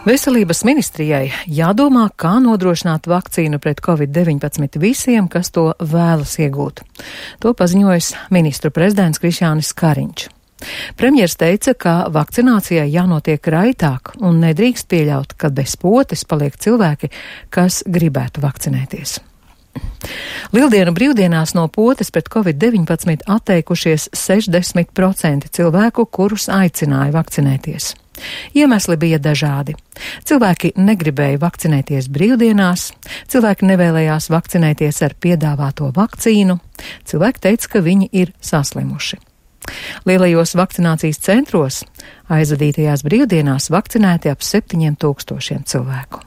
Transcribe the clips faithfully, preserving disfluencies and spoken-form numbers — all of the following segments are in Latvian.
Veselības ministrijai jādomā, kā nodrošināt vakcīnu pret covid deviņpadsmit visiem, kas to vēlas iegūt. To paziņojis ministru prezidents Krišjānis Kariņš. Premjers teica, ka vakcinācijai jānotiek raitāk un nedrīkst pieļaut, ka bez potes paliek cilvēki, kas gribētu vakcinēties. Lieldienu brīvdienās no potes pret covid deviņpadsmit atteikušies sešdesmit procenti cilvēku, kurus aicināja vakcinēties. Iemesli bija dažādi. Cilvēki negribēja vakcinēties brīvdienās, cilvēki nevēlējās vakcinēties ar piedāvāto vakcīnu, cilvēki teica, ka viņi ir saslimuši. Lielajos vakcinācijas centros aizvadītajās brīvdienās vakcinēti ap septiņiem tūkstošiem cilvēku.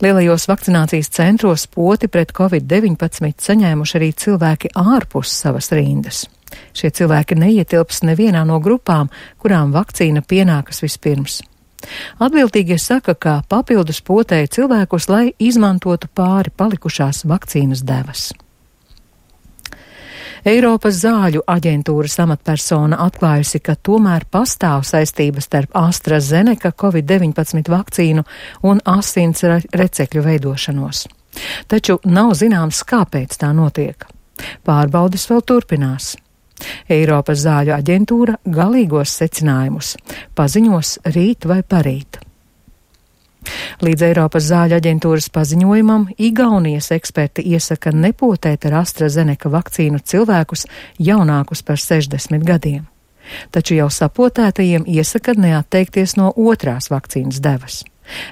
Lielajos vakcinācijas centros poti pret covid deviņpadsmit saņēmuši arī cilvēki ārpus savas rindas. Šie cilvēki neietilps nevienā no grupām, kurām vakcīna pienākas vispirms. Atbildīgie saka, ka papildus potēja cilvēkus, lai izmantotu pāri palikušās vakcīnas devas. Eiropas zāļu aģentūras amatpersona atklājusi, ka tomēr pastāv saistības starp AstraZeneca covid deviņpadsmit vakcīnu un asins recekļu veidošanos. Taču nav zināms, kāpēc tā notiek. Pārbaudes vēl turpinās. Eiropas zāļu aģentūra galīgos secinājumus paziņos rīt vai parīt. Līdz Eiropas zāļu aģentūras paziņojumam Igaunijas eksperti iesaka nepotēt ar AstraZeneca vakcīnu cilvēkus jaunākus par sešdesmit gadiem. Taču jau sapotētajiem iesaka neatteikties no otrās vakcīnas devas.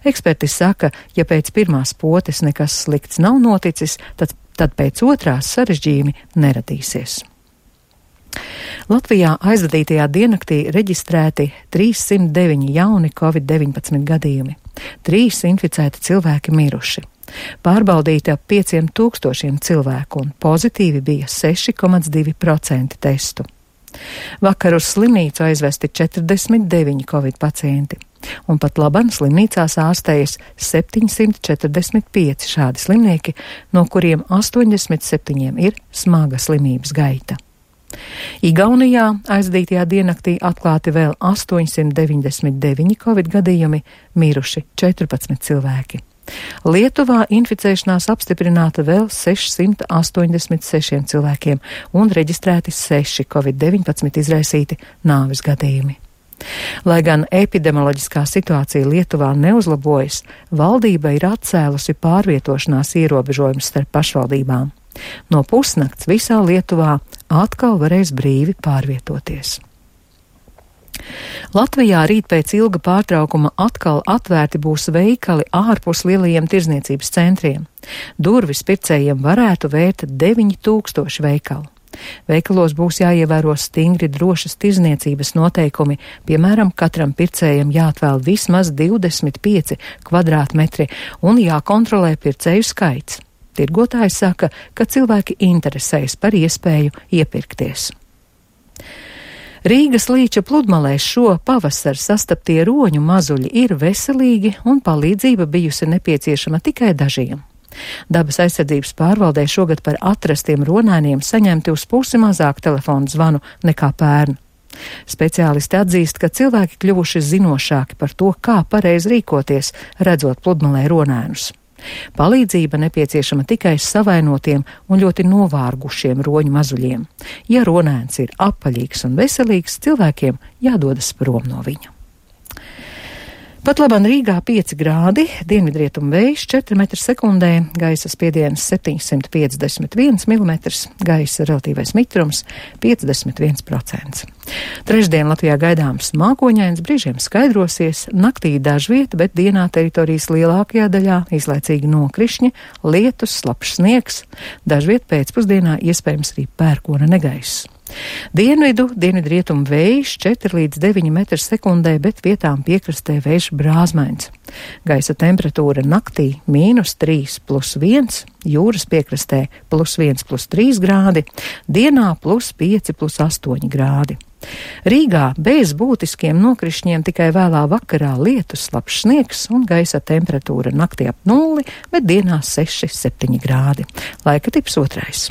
Eksperti saka, ja pēc pirmās potes nekas slikts nav noticis, tad, tad pēc otrās sarežģījumi neradīsies. Latvijā aizvadītajā diennaktī reģistrēti trīssimt deviņi jauni covid deviņpadsmit gadījumi. Trīs inficēti cilvēki miruši. Pārbaudīti ap pieciem tūkstošiem cilvēku un pozitīvi bija seši komats divi procenti testu. Vakar uz slimnīcu aizvesti četrdesmit deviņi covid pacienti, un pat laban slimnīcās ārstējas septiņsimt četrdesmit pieci šādi slimnieki, no kuriem astoņdesmit septiņiem ir smaga slimības gaita. Igaunijā aizdītajā diennaktī atklāti vēl astoņsimt deviņdesmit deviņi covid gadījumi, miruši četrpadsmit cilvēki. Lietuvā inficēšanās apstiprināta vēl sešsimt astoņdesmit sešiem cilvēkiem un reģistrēti seši covid deviņpadsmit izraisīti nāves gadījumi. Lai gan epidemioloģiskā situācija Lietuvā neuzlabojas, valdība ir atcēlusi pārvietošanās ierobežojumus starp pašvaldībām. No pusnakts visā Lietuvā atkal varēs brīvi pārvietoties. Latvijā rīt pēc ilga pārtraukuma atkal atvērti būs veikali ārpus lielajiem tirzniecības centriem. Durvis pircējiem varētu vērt deviņi tūkstoši veikalu. Veikalos būs jāievēro stingri drošas tirzniecības noteikumi, piemēram, katram pircējam jāatvēl vismaz divdesmit pieci kvadrātmetri un jākontrolē pircēju skaits. Tirgotājs saka, ka cilvēki interesējas par iespēju iepirkties. Rīgas līča pludmalēs šo pavasaru sastaptie roņu mazuļi ir veselīgi un palīdzība bijusi nepieciešama tikai dažiem. Dabas aizsardzības pārvaldē šogad par atrastiem ronēniem saņemti uz pusi mazāk telefonu zvanu nekā pērn. Speciālisti atzīst, ka cilvēki kļuvuši zinošāki par to, kā pareizi rīkoties, redzot pludmalē ronēnus. Palīdzība nepieciešama tikai savainotiem un ļoti novārgušiem roņu mazuļiem. Ja ronēns ir apaļīgs un veselīgs, cilvēkiem jādodas prom no viņa. Pat labam Rīgā pieci grādi, dienvidrietumu vējš četri metri sekundē, gaisa spiediens septiņsimt piecdesmit viens milimetrs, gaisa relatīvais mitrums piecdesmit viens procents. Trešdien Latvijā gaidāms mākoņains, brīžiem skaidrosies, naktī dažvieta, bet dienā teritorijas lielākajā daļā īslaicīgi nokrišņi, lietus, slapjš sniegs, dažviet pēcpusdienā iespējams arī pērkona negaiss. Dienvidu, dienvidrietumu vējš četri līdz deviņi metri sekundē, bet vietām piekrastē vējš brāzmains. Gaisa temperatūra naktī mīnus trīs plus viens, jūras piekrastē plus viens plus trīs grādi, dienā plus pieci plus astoņi grādi. Rīgā bez būtiskiem nokrišņiem tikai vēlā vakarā lietus, slapjš sniegs un gaisa temperatūra naktī ap nulli, bet dienā seši septiņi grādi. Laika tips otrais.